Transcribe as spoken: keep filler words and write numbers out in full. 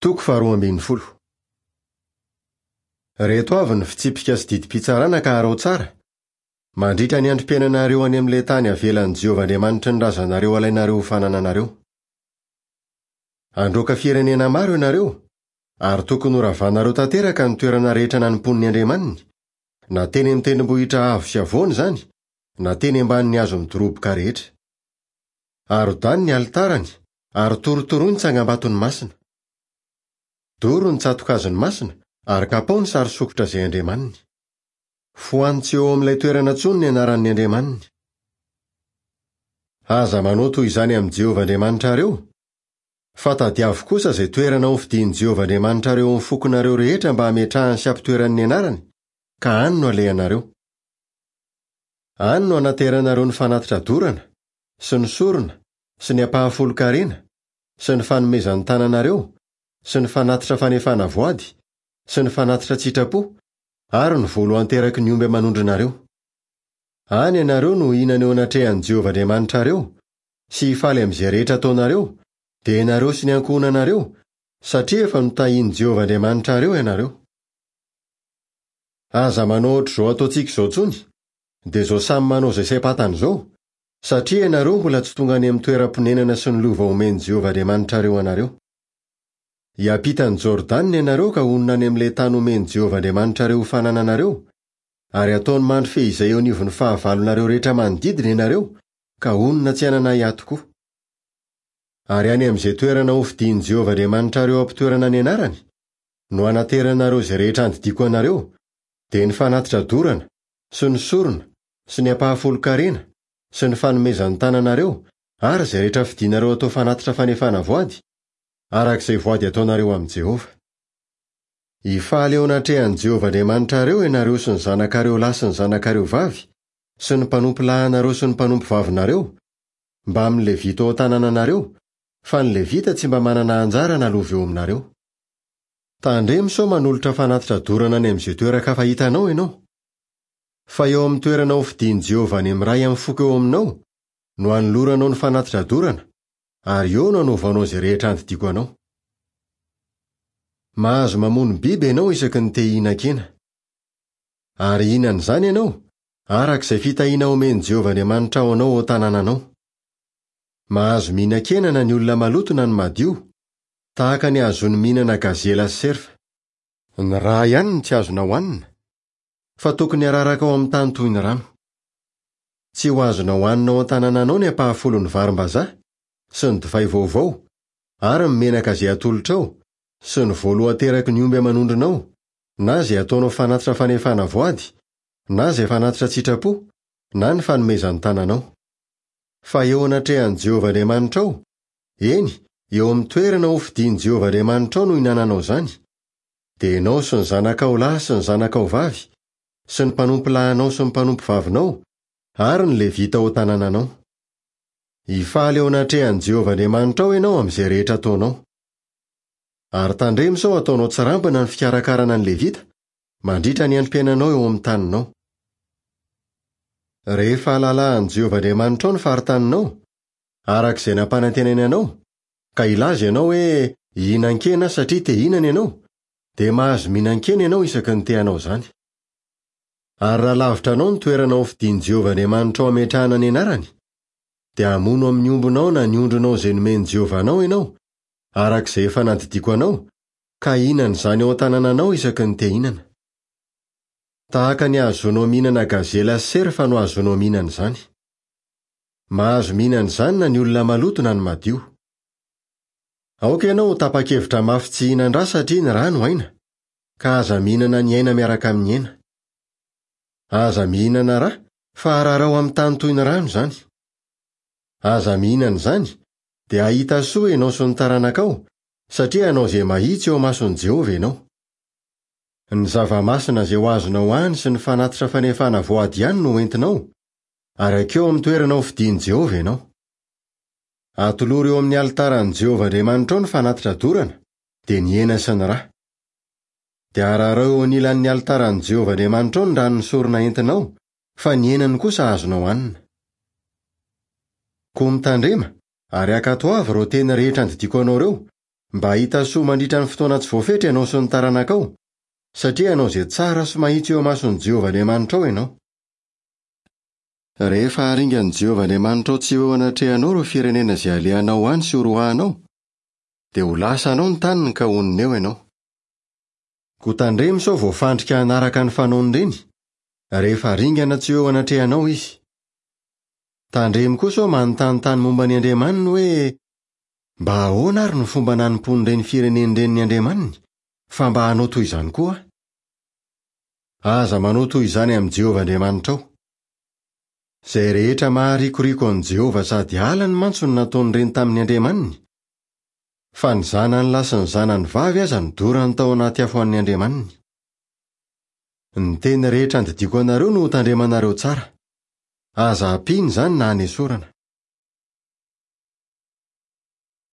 Toko faharoa ambin'ny folo. Ireto avy ny fitsipika sy didim-pitsarana ka araho tsara, mandritra ny androm-piainanareo any amin'ilay tany avelan'i Jehovah Andriamanitry ny razanareo alainareo ho fanananareo. Handroaka firenena maro ianareo, ary tokony horavanareo tanteraka ny toerana rehetra nanompoan'ny andriamaniny, na teny amin'ny tendrombohitra avo sy havoana izany, na teny ambanin'ny hazo midoroboka rehetra. Arodany ny alitarany, ary torotoroy ny tsangambatony masina. Doro ny tsato-kazony masina, ary kapao ny sary sokitra izay andriamaniny. Foano tsy eo amin'ilay toerana intsony ny anaran'ny andriamaniny. Aza manao toy izany amin'i Jehovah Andriamanitrareo, fa tadiavo kosa izay toerana hofidian'i Jehovah Andriamanitrareo amin'ny fokonareo rehetra mba hametrahany sy hampitoerany ny anarany, ka any no alehanareo. Any no anateranareo ny fanatitra dorana, sy ny sorona, sy ny ampahafolon-karena, sy ny fanomezan'ny tananareo, sy ny fanatitra fanefana voady, sy ny fanatitra tsitrapo, ary ny voalohan-teraky ny omby aman'ondrinareo. Any ianareo no hihinana eo anatrehan'i Jehovah Andriamanitrareo, sy hifaly amin'izay rehetra ataonareo, dia ianareo sy ny ankohonanareo, satria efa notahian'i Jehovah Andriamanitrareo ianareo. Aza manao ohatr'izao ataontsika izao intsony, dia izao samy manao izay saim-pantany izao, satria ianareo mbola tsy tonga any amin'ny toeram-ponenana sy ny lova omen'i Jehovah Andriamanitrareo anareo. Hiampita an'i Jordana ianareo ka honina any amin'ilay tany omen'i Jehovah Andriamanitrareo ho fanananareo, ary ataony mandry fehizay eo anivon'ny fahavalonareo rehetra manodidina ianareo, ka honina tsy hanana ahiahy tokoa. Ary any amin'izay toerana hofidian'i Jehovah Andriamanitrareo hampitoerana ny anarany, no hanateranareo izay rehetra andidiako anareo, dia ny fanatitra dorana, sy ny sorona, sy ny ampahafolon-karena, sy ny fanomezan'ny tananareo, ary izay rehetra fidianareo atao fanatitra fanefana voady, araka izay voady ataonareo amin'i Jehovah. Hifaly eo anatrehan'i Jehovah Andriamanitrareo ianareo sy ny zanakareo lahy sy ny zanakareo vavy, sy ny mpanompo lahinareo sy ny mpanompo vavinareo, mbamin'ny Levita ao an-tanànanareo, fa ny Levita tsy mba manana anjara na lova eo aminareo. Tandremo sao manolotra fanatitra dorana any amin'izay toeran-kafa hitanao ianao. Fa eo amin'ny toerana hofidian'i Jehovah any amin'ny iray amin'ny foko eo aminao no hanoloranao ny fanatitra dorana, ary eo no hanaovanao izay rehetra andidiako anao. Mahazo mamono biby ianao isaky ny te hihinan-kena. Ary hihinana izany ianao, araka izay fitahiana omen'i Jehovah Andriamanitrao anao ao an-tanànanao. Mahazo mihinan-kena na ny olona maloto na ny madio, tahaka ny ahazoany mihinana gazela sy serfa. Ny rà ihany no tsy azonao hanina, fa tokony hararaka ao amin'ny tany toy ny rano. Tsy ho azonao hanina ao an-tanànanao ny ampahafolon'ny varim-bazaha, sy ny divay vaovao, ary ny menaka izay atolotrao, sy ny voalohan-teraky ny omby aman'ondrinao, na izay ataonao fanatitra fanefana voady, na izay fanatitra tsitrapo, na ny fanomezan'ny tananao. Fa eo anatrehan'i Jehovah Andriamanitrao, eny, eo amin'ny toerana hofidian'i Jehovah Andriamanitrao no hihinananao izany, dia ianao sy ny zanakao lahy sy ny zanakao vavy, sy ny mpanompo lahinao sy ny mpanompo vavinao, ary ny Levita ao an-tanànanao. Hifaly eo anatrehan'i Jehovah Andriamanitrao ianao amin'izay rehetra ataonao. Ary tandremo sao ataonao tsirambina ny fikarakarana ny Levita, mandritra ny androm-piainanao eo amin'ny taninao. Rehefa halalahan'i Jehovah Andriamanitrao ny faritaninao, araka izay nampanantenainy anao, ka hilaza ianao hoe hihinan-kena satria te hihinana ianao, dia mahazo mihinan-kena ianao isaky ny te hanao izany. Ary raha lavitra anao ny toerana hofidian'i Jehovah Andriamanitrao hametrahana ny anarany, dia hamono amin'ny ombinao na ny ondrinao izay nomen'i Jehovah anao ianao, araka izay efa nandidiako anao, ka hihinana izany ao an-tanànanao isaky ny te hihinana. Tahaka ny ahazoanao mihinana gazela sy serfa no ahazoanao mihinana izany. Mahazo mihinana izany na ny olona maloto na ny madio. Aoka ianao ho tapa-kevitra mafy tsy hihinan-drà satria ny rà no aina, ka aza mihinana ny aina miaraka amin'ny hena. Aza mihinana rà, fa ararao amin'ny tany toy ny rano izany. Aza mihinana izany, dia hahita soa ianao sy ny taranakao, satria hanao izay mahitsy eo imason'i Jehovah ianao. Ny zava-masina izay ho azonao any sy ny fanatitra fanefana voady ihany no hoentinao, ary hankeo amin'ny toerana hofidian'i Jehovah ianao. Atolory eo amin'ny alitaran'i Jehovah Andriamanitrao ny fanatitra dorana, dia ny hena sy ny rà. Dia ararao eo anilan'ny alitaran'i Jehovah Andriamanitrao ny ran'ny sorona entinao, fa ny henany kosa azonao hanina. Koa mitandrema, ary ankatoavy ireo teny rehetra andidiako anao ireo, Mba hahita soa mandritra ny fotoana tsy voafetra ianao sy ny taranakao, satria hanao izay tsara sy mahitsy eo imason'i Jehovah Andriamanitrao ianao. Rehefa haringan'i Jehovah Andriamanitrao tsy ho eo anatrehanao ireo firenena izay alehanao any sy horoahanao, dia ho lasanao ny taniny ka honina eo ianao. Koa tandremo sao voafandrika hanaraka ny fanaon'ireny, rehefa ringana tsy ho eo anatrehanao izy. Tandremo koa sao manontanintany momba ny andriamaniny hoe mba ahoana ary ny fomba nanompoan'ireny firenena ireny ny andriamaniny, fa mba hanao toy izany koa aho. Aza manao toy izany amin'i Jehovah Andriamanitrao. Izay rehetra maharikoriko an'i Jehovah sady halany mantsy no nataon'ireny tamin'ny andriamaniny, fa ny zanany lahy sy ny zanany vavy aza nodorany tao anaty afo an'ny andriamaniny. Ny teny rehetra andidiako anareo no hotandremanareo tsara. Aza ampiana izany na anesorana.